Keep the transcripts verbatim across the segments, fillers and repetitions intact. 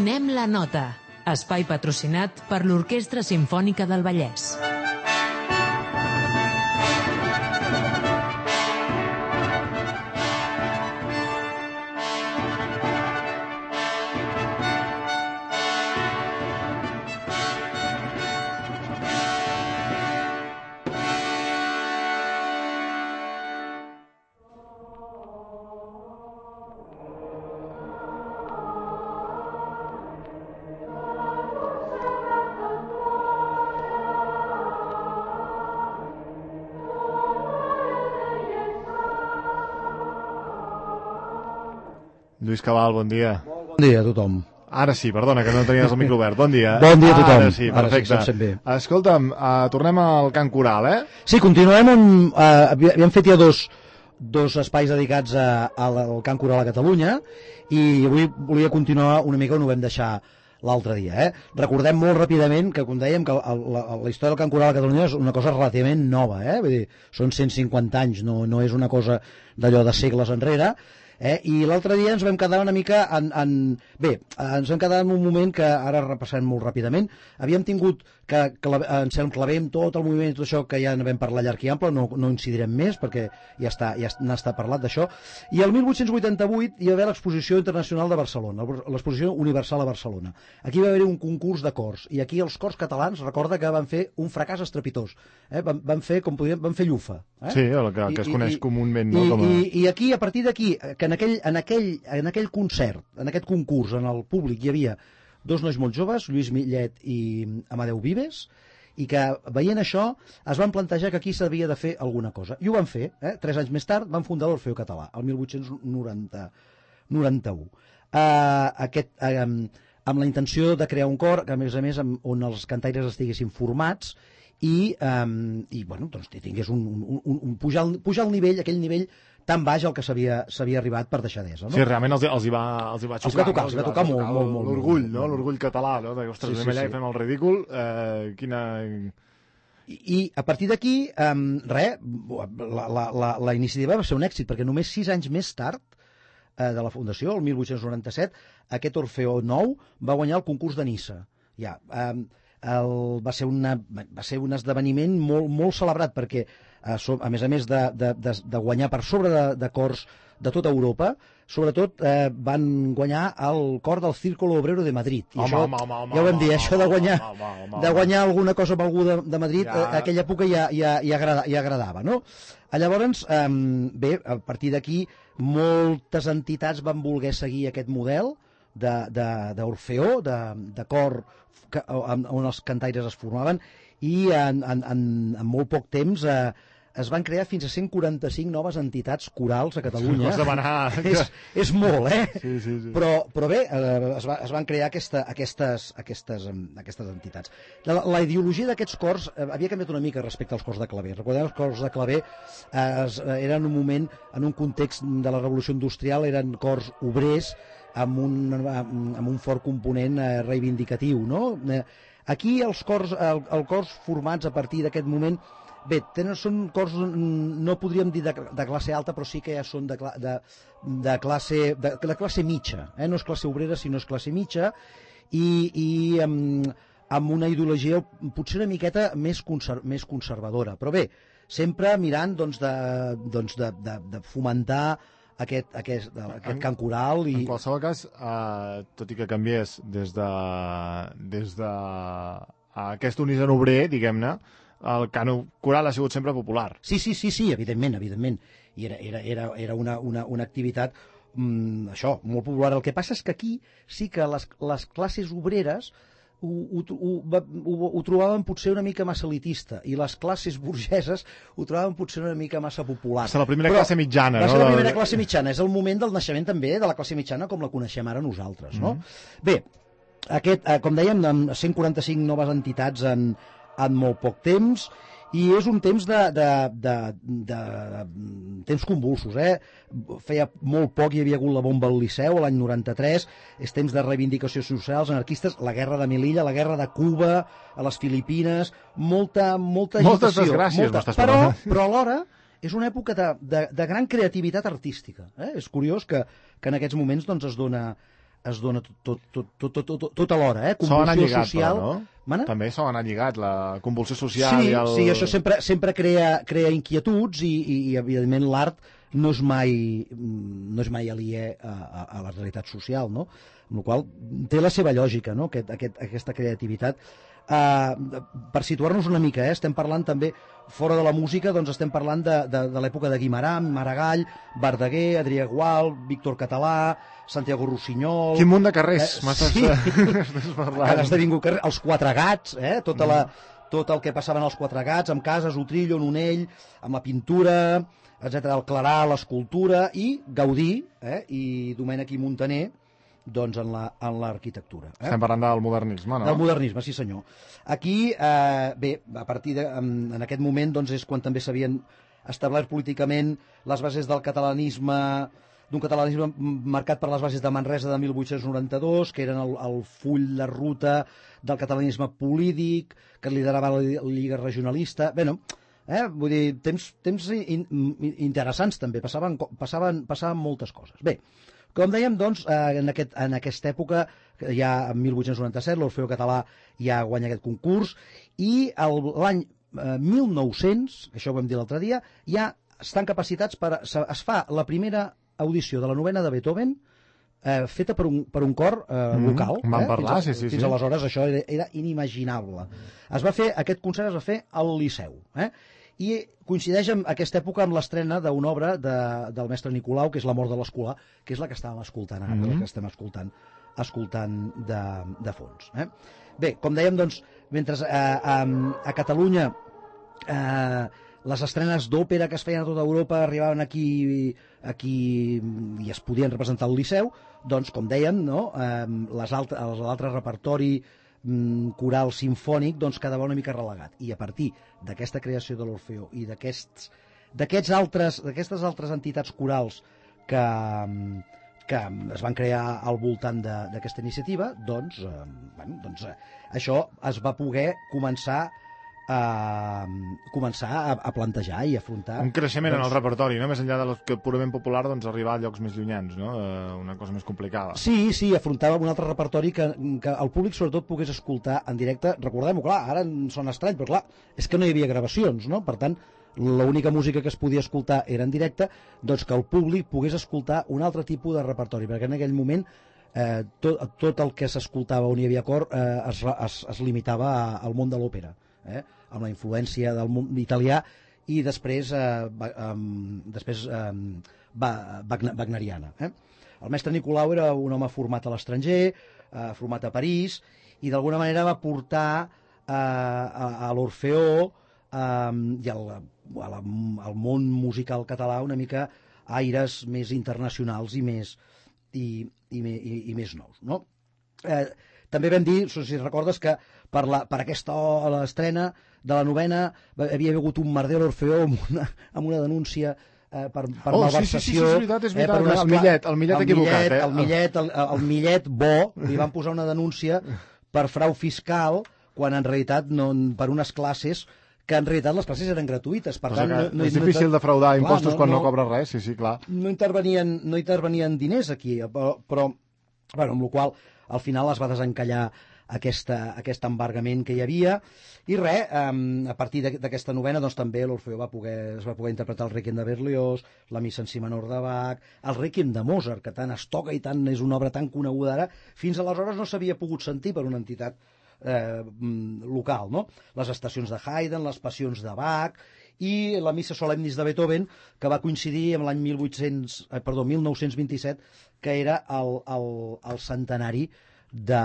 Donem la nota. Espai patrocinat per l'Orquestra Simfònica del Vallès. Lluís Cabal, bon dia. Bon dia a tothom. Ara sí, perdona, que no tenies el micro obert. Bon dia. Bon dia a tothom. Ara sí, perfecte. Ara sí, bé. Escolta'm, uh, tornem al cant coral, eh? Sí, continuem on... Uh, havíem fet ja dos, dos espais dedicats a, a, al cant coral a Catalunya i avui volia continuar una mica on ho vam deixar l'altre dia. Eh? Recordem molt ràpidament que, com dèiem, que la, la, la història del cant coral a Catalunya és una cosa relativament nova. Eh? Vull dir, són cent cinquanta anys, no, no és una cosa d'allò de segles enrere. Eh? I l'altre dia ens vam quedar una mica en, en... Bé, ens vam quedar en un moment que ara repassem molt ràpidament. Havíem tingut que, que la, ens enclavem tot el moviment i tot això que ja en vam parlar llarg i ample, no, no incidirem més perquè ja està, ja n'ha estat parlat d'això. I el mil vuit-cents vuitanta-vuit hi va haver l'Exposició Internacional de Barcelona, l'Exposició Universal a Barcelona. Aquí va haver un concurs de cors i aquí els cors catalans, recorda que van fer un fracàs estrepitós. Eh? Van, van fer, com podíem, van fer llufa. Eh? Sí, el que, que es coneix I, comúment. I, No? Com a... i, I aquí, a partir d'aquí, que en aquell, en, aquell, en aquell concert, en aquest concurs, en el públic hi havia dos nois molt joves, Lluís Millet i Amadeu Vives, i que veient això es van plantejar que aquí s'havia de fer alguna cosa. I ho van fer. Eh? Tres anys més tard van fundar l'Orfeó Català, el mil vuit-cents noranta-u. Uh, aquest, uh, amb la intenció de crear un cor, que a més a més amb, on els cantaires estiguessin formats i, um, i bueno, doncs, tingués un, un, un, un pujar, el, pujar el nivell, aquell nivell tan baix al que s'havia arribat per deixadesa. No? Sí, realment els, els, hi va, els hi va xocar. Els va tocar, els va tocar molt, molt, molt. L'orgull, no? L'orgull català, no? De, ostres, sí, anem sí, allà sí. i fem el ridícul. Eh, quina... I, I a partir d'aquí, um, res, la, la, la, la iniciativa va ser un èxit, perquè només sis anys més tard eh, de la fundació, el mil vuit-cents noranta-set, aquest Orfeó nou va guanyar el concurs de Niça. Ja, um, el, va, ser una, va ser un esdeveniment molt, molt celebrat, perquè a, a més a més de, de, de, de guanyar per sobre de, de cors de tota Europa, sobretot eh, van guanyar el cor del Círculo Obrero de Madrid. I home, això, home, home, home, ja ho vam dir, home, això de guanyar, home, home, home, de guanyar alguna cosa amb algú de, de Madrid, ja. a aquella època ja, ja, ja, agrada, ja agradava, no? Llavors, eh, bé, a partir d'aquí, moltes entitats van voler seguir aquest model d'Orfeó, de, de, de cor que, on, on els cantaires es formaven, i en, en, en, en molt poc temps eh, es van crear fins a cent quaranta-cinc noves entitats corals a Catalunya. és, és molt, eh? Sí, sí, sí. Però, però bé, eh, es, va, es van crear aquesta, aquestes, aquestes, aquestes entitats. La, la ideologia d'aquests cors eh, havia canviat una mica respecte als cors de claver. Recordem, els cors de claver eh, es, eren un moment, en un context de la revolució industrial, eren cors obrers amb un, amb un fort component eh, reivindicatiu, no? Eh, aquí els cors, el, el cors formats a partir d'aquest moment, bé, tenen, són cors, no podríem dir de, de classe alta, però sí que ja són de, de, de, classe, de, de classe mitja, eh? No és classe obrera, sinó és classe mitja, i, i amb, amb una ideologia potser una miqueta més, conser, més conservadora, però bé, sempre mirant doncs, de, doncs, de, de, de fomentar aquest, aquest, aquest cant coral. I... En qualsevol cas, eh, tot i que canviés des de, des de aquest unigen obrer, diguem-ne, el cant coral ha sigut sempre popular. Sí, sí, sí, sí, evidentment, evidentment. I era, era, era, era una, una, una activitat, mm, això, molt popular. El que passa és que aquí sí que les, les classes obreres ho, ho, ho, ho, ho trobaven potser una mica massa elitista i les classes burgeses ho trobaven potser una mica massa popular. Va ser la primera Però classe mitjana, va no? Va ser la primera classe mitjana. És el moment del naixement també de la classe mitjana com la coneixem ara nosaltres, no? Mm-hmm. Bé, aquest, com dèiem, amb cent quaranta-cinc noves entitats en, en molt poc temps, i és un temps de, de, de, de, de temps convulsos, eh? Feia molt poc hi havia hagut la bomba al Liceu l'any noranta-tres, és temps de reivindicacions socials anarquistes, la guerra de Melilla, la guerra de Cuba, a les Filipines, molta, molta moltes agitació, desgràcies, molta, però, però alhora és una època de, de, de gran creativitat artística, eh? És curiós que, que en aquests moments doncs, es dona es dona tot, tot, tot, tot, tot, tot, tot alhora, eh? S'ho ha anat lligat, social... però, no? Mana? També s'ho ha anat lligat, la convulsió social sí, i el... Sí, això sempre, sempre crea, crea inquietuds i, i, i evidentment, l'art no és mai, no és mai aliè a, a, a la realitat social, no? Amb la qual té la seva lògica, no? Aquest, aquest, aquesta creativitat. Uh, per situar-nos una mica, eh? Estem parlant també, fora de la música, doncs estem parlant de, de, de l'època de Guimerà, Maragall, Verdaguer, Adrià Gual, Víctor Català, Santiago Rossinyol... Quin munt de carrers eh, m'estàs sí. parlant. Han esdevingut carrers, els Quatre Gats, eh? Tota la, tot el que passaven als Quatre Gats, amb Cases, Utrillo, Nonell, amb la pintura, etcètera, el Clarà, l'escultura, i Gaudí, eh? I Domènech i Muntaner, doncs en l'arquitectura. La, eh? Estem parlant del modernisme, no? Del modernisme, sí senyor. Aquí, eh, bé, a partir de, en, en aquest moment, doncs és quan també s'havien establert políticament les bases del catalanisme, d'un catalanisme marcat per les bases de Manresa de mil vuit-cents noranta-dos, que eren el, el full de ruta del catalanisme polític, que liderava la Lliga Regionalista. Bé, no, eh? Vull dir, temps, temps in, in, interessants també, passaven, passaven, passaven moltes coses. Bé, com dèiem, doncs, en, aquest, en aquesta època, ja en mil vuit-cents noranta-set, l'Orfeó Català ja guanya aquest concurs, i l'any eh, mil nou-cents, això ho vam dir l'altre dia, ja estan capacitats per... Es fa la primera audició de la novena de Beethoven eh, feta per un, per un cor eh, mm, local. Vam eh? parlar, fins, sí, sí. Fins sí. aleshores això era, era inimaginable. Es va fer, aquest concert es va fer al Liceu, eh? I coincideix en aquesta època amb l'estrena d'una obra de, del mestre Nicolau, que és La mort de l'Escolà, que és la que estàvem escoltant ara, mm -hmm. la que estem escoltant, escoltant de, de fons. Eh? Bé, com dèiem, doncs, mentre eh, a, a Catalunya eh, les estrenes d'òpera que es feien a tota Europa arribaven aquí, aquí i es podien representar al Liceu, doncs, com dèiem, no? eh, les altres, l'altre repertori coral simfònic doncs quedava una mica relegat, i a partir d'aquesta creació de l'Orfeó i d'aquests d'aquests altres d'aquestes altres entitats corals que, que es van crear al voltant d'aquesta iniciativa, doncs, eh, bueno, doncs eh, això es va poder començar a començar a, a plantejar i afrontar un creixement doncs, en el repertori, no? Més enllà de lo que purament popular, doncs arribar a llocs més llunyans, no? Eh, una cosa més complicada. Sí, sí, afrontava un altre repertori que, que el públic sobretot pogués escoltar en directe. Recordem-ho, clar, ara sona estrany, però clar, és que no hi havia gravacions, no? Per tant, l'única música que es podia escoltar era en directe, doncs que el públic pogués escoltar un altre tipus de repertori, perquè en aquell moment eh, tot, tot el que s'escoltava on hi havia cor eh, es, es, es limitava al món de l'òpera, eh? Amb la influència del món italià i després, eh, um, després um, wagneriana. Eh? El mestre Nicolau era un home format a l'estranger, eh, format a París, i d'alguna manera va portar eh, a, a l'Orfeó eh, i al, a la, al món musical català una mica aires més internacionals i més, i, i, i, i més nous. No? Eh, també vam dir, si recordes, que per, la, per aquesta l'estrena de la novena havia hagut un merder a l'Orfeó amb una, amb una denúncia eh, per, per oh, malversació. Sí, sí, sí, és veritat, és veritat. Eh, per el Millet, el Millet el equivocat. Millet, eh? el, Millet, el, el Millet bo, li van posar una denúncia per frau fiscal, quan en realitat no, per unes classes que en realitat les classes eren gratuïtes. Per tant, no, no, és difícil no, defraudar clar, impostos no, quan no, no cobres res, sí, sí, clar. No intervenien, no intervenien diners aquí, però, però bueno, amb la qual al final es va desencallar aquesta, aquest embargament que hi havia, i res, um, a partir d'aquesta novena doncs també l'Orfeó va poder, es va poder interpretar el Rèquiem de Berlioz, la Missa en si menor de Bach, el Rèquiem de Mozart, que tant es toca i tant és una obra tan coneguda ara, fins aleshores no s'havia pogut sentir per una entitat eh, local, no? Les estacions de Haydn, les passions de Bach i la Missa Solemnis de Beethoven, que va coincidir amb l'any mil vuit-cents, eh, perdó, mil nou-cents vint-i-set, que era el, el, el centenari de,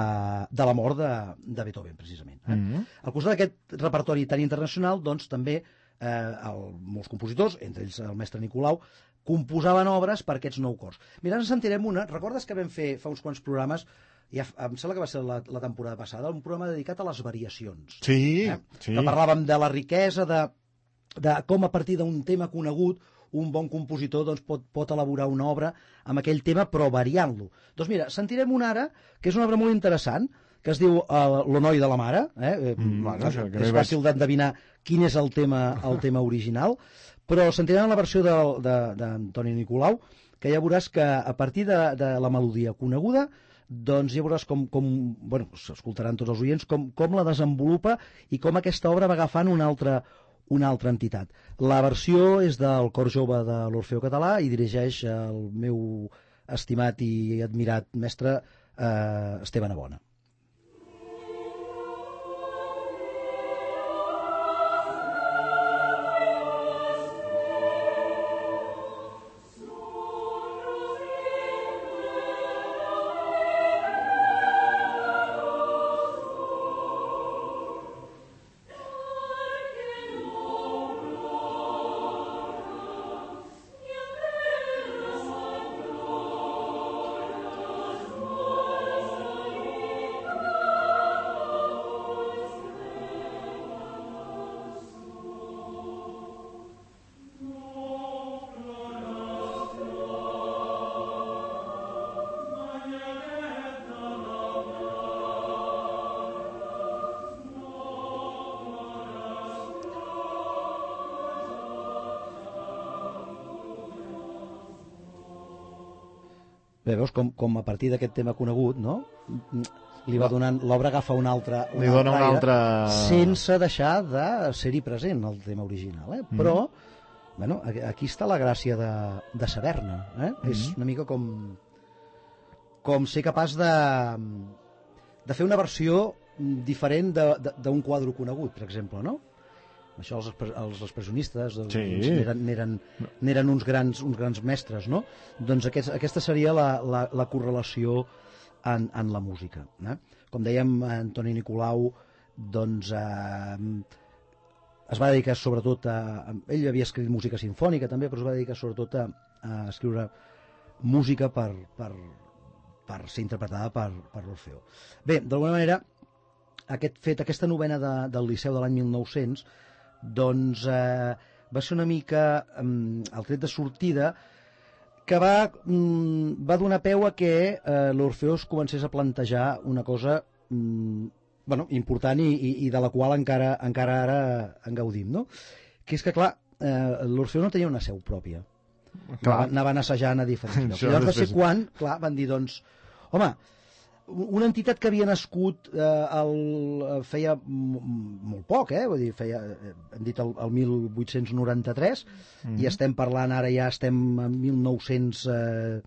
de la mort de, de Beethoven, precisament. Eh? Mm -hmm. Al costat d'aquest repertori tan internacional, doncs, també eh, el, molts compositors, entre ells el mestre Nicolau, composaven obres per aquests nou cors. Mira, ens sentirem una. Recordes que vam fer fa uns quants programes, ja, em sembla que va ser la, la temporada passada, un programa dedicat a les variacions. Sí, eh? sí. Que parlàvem de la riquesa, de, de com a partir d'un tema conegut un bon compositor doncs, pot, pot elaborar una obra amb aquell tema, però variant-lo. Doncs mira, sentirem una ara, que és una obra molt interessant, que es diu uh, L'Honoi de la Mare. Eh? Mm, bueno, és és fàcil d'endevinar quin és el tema, el tema original, però sentirem la versió d'Antoni Nicolau, que ja veuràs que a partir de, de la melodia coneguda doncs ja veuràs com, com bueno, s'escoltaran tots els oients, com, com la desenvolupa i com aquesta obra va agafant una altra, una altra entitat. La versió és del Cor Jove de l'Orfeó Català i dirigeix el meu estimat i admirat mestre eh, Esteve Navona. Bé, veus com, com a partir d'aquest tema conegut, no? Li va donant, l'obra agafa un altre, un Li dona un altre... sense deixar de ser-hi present el tema original, eh? Mm. Però, bueno, aquí està la gràcia de, de saber-ne, eh? Mm. És una mica com com ser capaç de de fer una versió diferent d'un quadre conegut, per exemple, no? Això els, els expressionistes doncs, sí. n'eren, n'eren, n'eren uns, grans, uns grans mestres, no? Doncs aquest, aquesta seria la, la, la correlació en, en la música. Eh? Com dèiem, Antoni Nicolau doncs, eh, es va dedicar sobretot a... Ell havia escrit música sinfònica també, però es va dedicar sobretot a, a escriure música per, per, per ser interpretada per, per l'Orfeó. Bé, d'alguna manera, aquest fet, aquesta novena de, del Liceu de l'any mil nou-cents doncs eh, va ser una mica eh, el tret de sortida que va, mm, va donar peu a que eh, l'Orfeó es comencés a plantejar una cosa mm, bueno, important i, i, i de la qual encara, encara ara en gaudim, no? Que és que, clar, eh, l'Orfeó no tenia una seu pròpia. Clar. Anaven assajant a diferents llocs. Llavors va ser quan, clar, van dir, doncs, home, una entitat que havia nascut eh, el, feia molt poc, eh? Vull dir, feia, hem dit el, el mil vuit-cents noranta-tres mm-hmm. i estem parlant, ara ja estem en mil nou-cents, eh,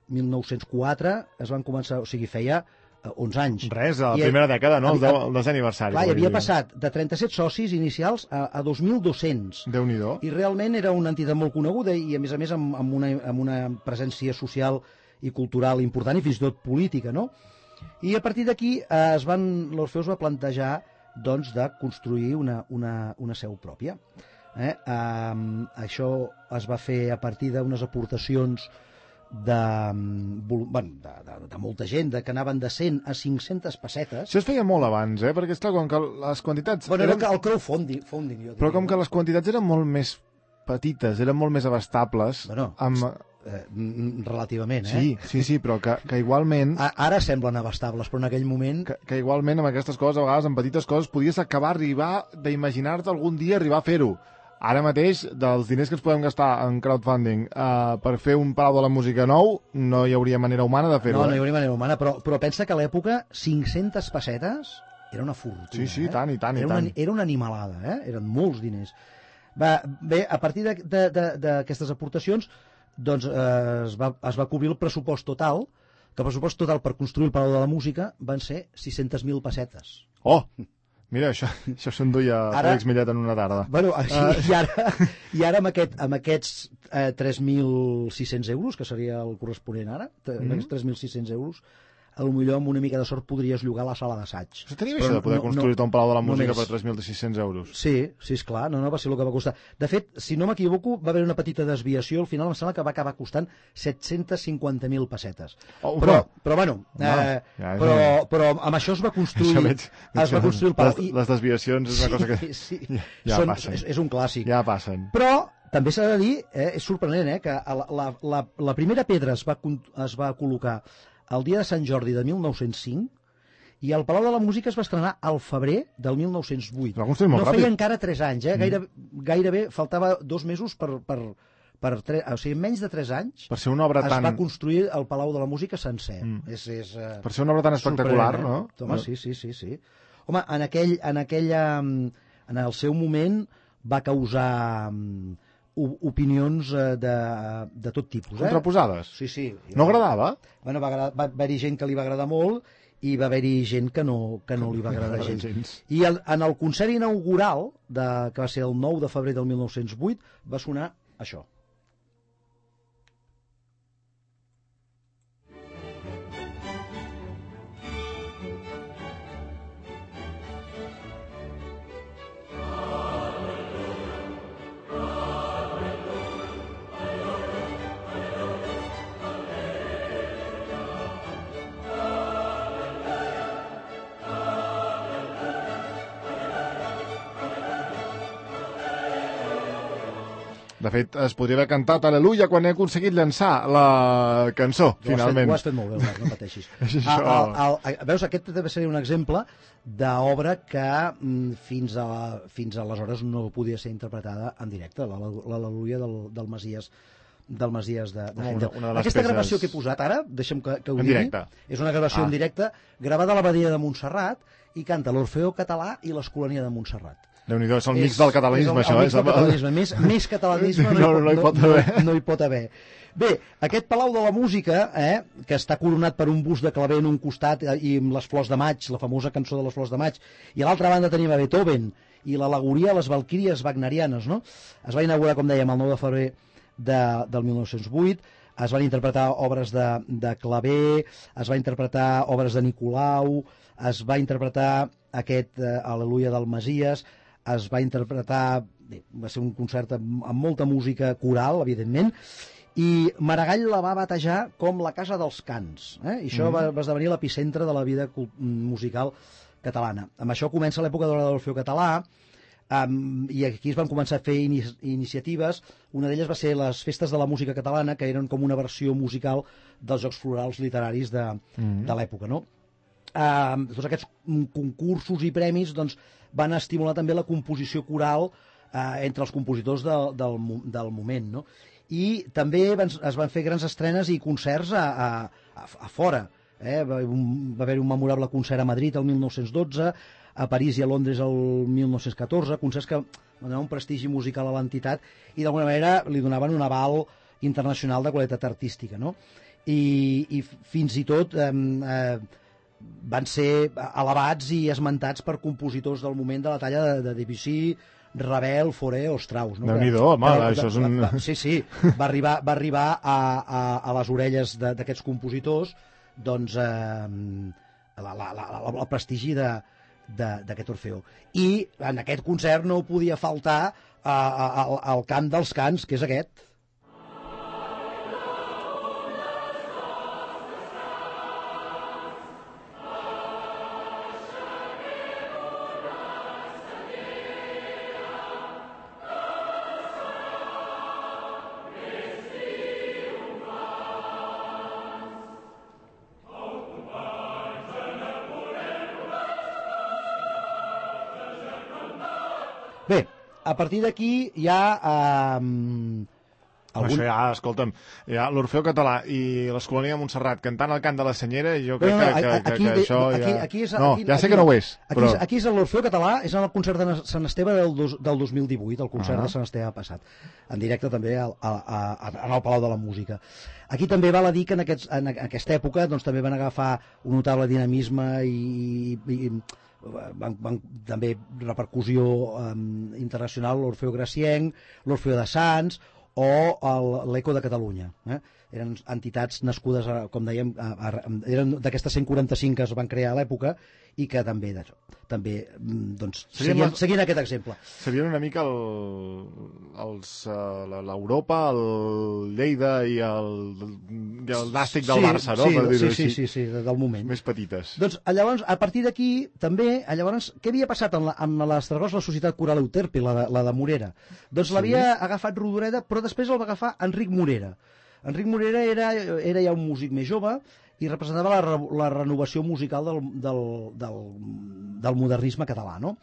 mil nou-cents quatre, es van començar, o sigui, feia eh, onze anys. Res, a la I primera dècada, no? Havia, el desè aniversari. Clar, havia passat de trenta-set socis inicials a, a dos mil dos-cents. Déu-n'hi-do. I realment era una entitat molt coneguda i, a més a més, amb, amb, una, amb una presència social i cultural important i fins i tot política, no? I a partir d'aquí eh, es van l'Orfeó es va plantejar doncs, de construir una, una, una seu pròpia. Eh? Um, això es va fer a partir d'unes aportacions de, bueno, de, de, de molta gent, de, que anaven de cent a cinc-centes pessetes. Això es feia molt abans, eh? Perquè esclar, com que les quantitats... Bueno, eren... el crowdfunding, funding, jo diria, però com que les quantitats eren molt més petites, eren molt més abastables... Bueno, amb... eh, relativament, eh? Sí, sí, sí, però que, que igualment... A, ara semblen abastables, però en aquell moment... Que, que igualment amb aquestes coses, a vegades, amb petites coses, podies acabar arribar d'imaginar-te algun dia arribar a fer-ho. Ara mateix, dels diners que ens podem gastar en crowdfunding uh, per fer un Palau de la Música nou, no hi hauria manera humana de fer-ho. No, no hi eh? hauria manera humana, però, però pensa que a l'època cinc-centes pessetes era una fortuna. Sí, sí, eh? tant, i tant, i era tant. Una, era una animalada, eh? Eren molts diners. Va, bé, a partir d'aquestes aportacions, doncs eh, es, va, es va cobrir el pressupost total, que el pressupost total per construir el Palau de la Música van ser sis-centes mil pessetes. Oh! Mira, això, això s'enduia ara, Fèlix Millet en una tarda. Bueno, així, uh... i ara, i ara amb, aquest, amb aquests eh, tres mil sis-cents euros, que seria el corresponent ara, mm-hmm. aquests tres mil sis-cents euros, potser amb una mica de sort podries llogar la sala d'assaig. Això tenia això de poder no, construir-te no, un Palau de la Música per tres mil sis-cents euros. Sí, sí, esclar, no, no va ser el que va costar. De fet, si no m'equivoco, va haver una petita desviació, al final em sembla que va acabar costant set-cents cinquanta mil pessetes. Oh, però, però, bueno, no, eh, ja però, però amb això es va construir, veig, es va construir el Palau. Les, les desviacions és una cosa que... Sí, sí, ja són, passen. És, és un clàssic. Ja passen. Però també s'ha de dir, eh, és sorprenent, eh, que la, la, la, la primera pedra es va, es va col·locar el dia de Sant Jordi de mil nou-cents cinc i el Palau de la Música es va estrenar al febrer del mil nou-cents vuit. No feia ràpid. encara tres anys, eh? Gaire, gairebé faltava dos mesos per, per, per tre... o sigui, en menys de tres anys per ser una obra es tan... va construir el Palau de la Música sencer. Mm. És, és, uh, per ser una obra tan espectacular, eh? no? Home, sí, sí, sí, sí. Home, en aquell, en aquella, en el seu moment va causar um, opinions uh, de, de tot tipus. Eh? Contraposades? Sí, sí. No agradava? Bueno, va, agradar, va haver-hi gent que li va agradar molt i va haver-hi gent que no, que no li va agradar gens. gens. I el, en el concert inaugural, de, que va ser el nou de febrer del mil nou-cents vuit, va sonar això. De fet, es podria haver cantat Aleluia quan he aconseguit llançar la cançó, ho finalment. Ho has fet molt bé, Albert, no pateixis. Això... el, el, el, veus, aquest també seria un exemple d'obra que mm, fins, a, fins aleshores no podia ser interpretada en directe, l'Aleluia del, del Masies del Masies de, de una, una de Aquesta peces... gravació que he posat ara, deixa'm que, que ho en digui, directe. És una gravació ah. en directe gravada a l'Abadia de Montserrat i canta l'Orfeó Català i l'Escolania de Montserrat. Déu-n'hi-do, és el mix del catalanisme, és el, això. El mix del catalanisme. Més, més catalanisme no, no, no, hi pot no, haver. no, no hi pot haver. Bé, aquest Palau de la Música, eh, que està coronat per un bust de claver en un costat i amb les flors de maig, la famosa cançó de les flors de maig, i a l'altra banda tenim a Beethoven i l'al·legoria a les valquíries wagnerianes, no? Es va inaugurar, com dèiem, el nou de febrer de, del mil nou-cents vuit, es van interpretar obres de, de claver, es va interpretar obres de Nicolau, es va interpretar aquest eh, Aleluia del Masies, es va interpretar, bé, va ser un concert amb, amb molta música coral, evidentment, i Maragall la va batejar com la Casa dels Cants, eh? I això mm. va, va esdevenir l'epicentre de la vida musical catalana. Amb això comença l'època de l'Orfeó Català, um, i aquí es van començar a fer ini iniciatives. Una d'elles va ser les Festes de la Música Catalana, que eren com una versió musical dels Jocs Florals Literaris de, mm. de l'època, no? Uh, tots aquests concursos i premis doncs, van estimular també la composició coral uh, entre els compositors de, del, del moment, no? I també van, es van fer grans estrenes i concerts a, a, a, a fora, eh? va, un, va haver un memorable concert a Madrid el mil nou-cents dotze, a París i a Londres el mil nou-cents catorze, concerts que donaven un prestigi musical a l'entitat i d'alguna manera li donaven un aval internacional de qualitat artística, no? I, i fins i tot eh, eh, van ser elevats i esmentats per compositors del moment de la talla de, de Debussy, Ravel, Fauré o Strauss. No? Déu-n'hi-do, home, de, això és un... Va, sí, sí, va arribar, va arribar a, a, a les orelles d'aquests compositors doncs, eh, la, la, la, la, el prestigi d'aquest Orfeó. I en aquest concert no podia faltar a, a, a, al cant dels cants, que és aquest. Bé, a partir d'aquí hi ha... Eh, algun... Això ja, escolta'm, ja l'Orfeó Català i l'Escolania de Montserrat cantant el cant de la Senyera, jo crec no, no, que, que, aquí, que, que això ja... Aquí, aquí és, no, aquí, ja sé aquí, que no ho és, aquí, però... Aquí és l'Orfeó Català, és en el concert de Sant Esteve del, dos, del dos mil divuit, el concert uh -huh. de Sant Esteve passat, en directe també al, a, a, a, en el Palau de la Música. Aquí també val a dir que en, aquests, en aquesta època doncs, també van agafar un notable dinamisme i... i, i Van, van també repercussió um, internacional l'Orfeó Gracienc, l'Orfeó de Sants o l'Eco de Catalunya, eh? Eren entitats nascudes, a, com dèiem, a, a, eren d'aquestes cent quaranta-cinc que es van crear a l'època i que també, també doncs, seguien, seguint aquest exemple. Serien una mica l'Europa, el, el Lleida i el, el Nàstic del sí, Barça, no? Sí, per dir-ho sí, així. sí, sí, sí, del moment. Més petites. Doncs llavors, a partir d'aquí, també, llavors, què havia passat amb, la, amb l'Estragós, la Societat Coral Euterpe, la, la de Morera? Doncs sí. L'havia agafat Rodoreda, però després el va agafar Enric Morera. Enric Morera era, era ja un músic més jove i representava la, la renovació musical del, del, del, del modernisme català, no?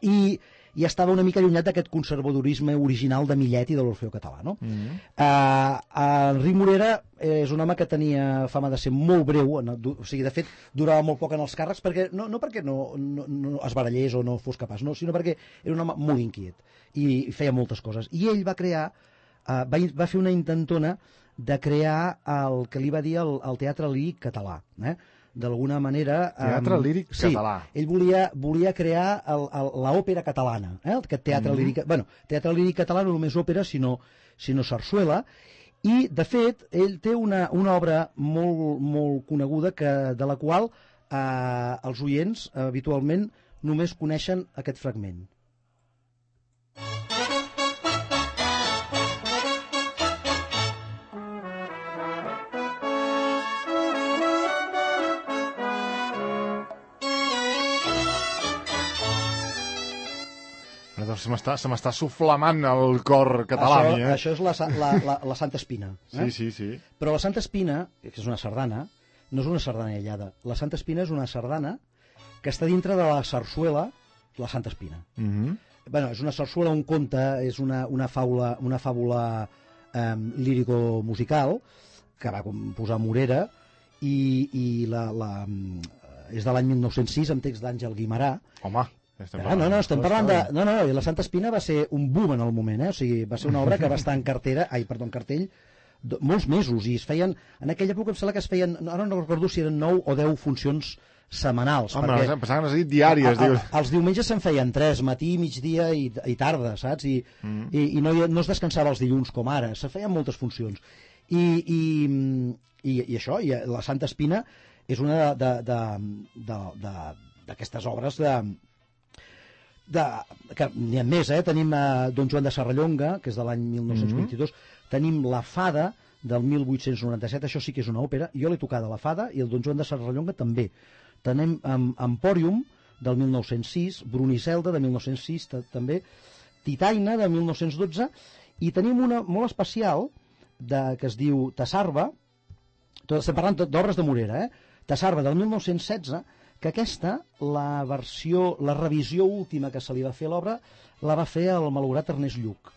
I i estava una mica allunyat d'aquest conservadorisme original de Millet i de l'Orfeó Català, no? Mm -hmm. uh, Enric Morera és un home que tenia fama de ser molt breu, o sigui, de fet, durava molt poc en els càrrecs, perquè no, no perquè no, no, no es barallés o no fos capaç, no, sinó perquè era un home molt inquiet i, i feia moltes coses. I ell va crear, uh, va, va fer una intentona de crear el que li va dir el, el teatre líric català, eh? D'alguna manera... Teatre um, líric sí, català. Ell volia, volia crear l'òpera catalana, eh? Aquest teatre mm. líric... Bueno, teatre líric català no només òpera, sinó, sinó sarsuela, i, de fet, ell té una, una obra molt, molt coneguda que, de la qual eh, els oients eh, habitualment només coneixen aquest fragment. Se m'està se m'està suflamant el cor català, això, mi, eh? Això és la, la, la, la Santa Espina. Eh? Sí, sí, sí. Però la Santa Espina, que és una sardana, no és una sardana aïllada. La Santa Espina és una sardana que està dintre de la sarsuela, la Santa Espina. Mm -hmm. Bueno, és una sarsuela, un conte, és una, una faula, una fàbula eh, lírico-musical que va posar Morera i, i la, la, és de l'any mil nou-cents sis, amb text d'Àngel Guimarà. Home, Ah, no, no, estem parlant de... No, no, i la Santa Espina va ser un boom en el moment, eh? O sigui, va ser una obra que va estar en cartera, ai, perdó, en cartell, do, molts mesos, i es feien... En aquella època em sembla que es feien, ara no recordo si eren nou o deu funcions setmanals. Home, perquè em pensaven que has dit diàries. A, a, els diumenges se'n feien tres, matí, migdia i, i tarda, saps? I, mm. i, i no, no es descansava els dilluns com ara, se feien moltes funcions. I, i, i, i això, i la Santa Espina és una d'aquestes obres de... De, que n'hi ha més, eh? Tenim eh, Don Joan de Serrallonga, que és de l'any mil nou-cents vint-i-dos, mm-hmm. Tenim La Fada del mil vuit-cents noranta-set, això sí que és una òpera, jo l'he tocada, La Fada, i el Don Joan de Serrallonga també. Tenim um, Empòrium del mil nou-cents sis, Bruniselda de mil nou-cents sis també, Titaina de mil nou-cents dotze, i tenim una molt especial de, que es diu Tassarba, tot, estem parlant d'obres de Morera, eh? Tassarba del mil nou-cents setze, que aquesta, la versió, la revisió última que se li va fer a l'obra, la va fer el malaurat Ernest Lluch.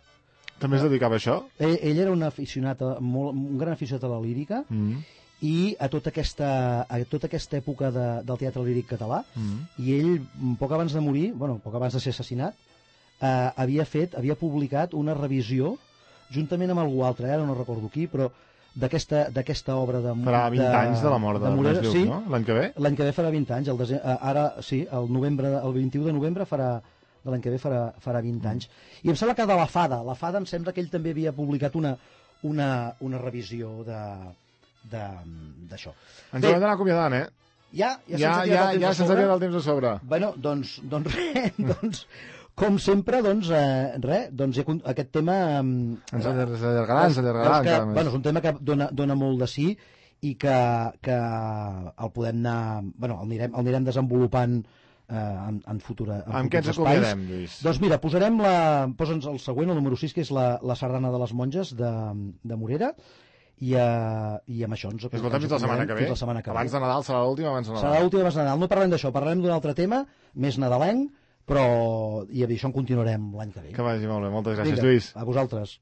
També es dedicava a això? Ell, ell era un aficionat, a, molt, un gran aficionat a la lírica, mm. i a tota aquesta, a tota aquesta època de, del teatre líric català, mm. i ell, poc abans de morir, bueno, poc abans de ser assassinat, eh, havia fet, havia publicat una revisió, juntament amb algú altre, ara no recordo qui, però d'aquesta d'aquesta obra de... Farà vint de, anys de la mort de, de Morera, Lluch, sí, no? L'any que ve? L'any que ve farà vint anys, el dese... ara sí, el, novembre, el vint-i-u de novembre farà, de l'any que ve farà, farà vint mm. anys. I em sembla que de La Fada, La Fada em sembla que ell també havia publicat una, una, una revisió d'això. Ens hem d'anar acomiadant, eh? Ja? Ja, ja, ja, ja se'ns ha quedat el temps a sobre. Bueno, doncs, doncs res, doncs... Com sempre, doncs, eh, res, doncs aquest tema... Eh, ens allargarà, ens allargarà que, encara més. Bueno, és un tema que dona, dona molt de sí i que, que el podem anar... Bueno, el anirem, el anirem desenvolupant eh, en, en, futura, en amb què ens acomiadem, Lluís? Doncs mira, posarem la... Posa'ns el següent, el número sis, que és la, la sardana de les monges de, de Morera, i, uh, i amb això ens... Escolta'm, fins la setmana que ve. La setmana que abans ve. de Nadal serà l'última, abans de Nadal. Serà l'última abans de Nadal. No parlem d'això, parlarem d'un altre tema, més nadalenc, però i això en continuarem l'any que ve. Que vagi molt bé, moltes gràcies, Vinga, Lluís. a vosaltres.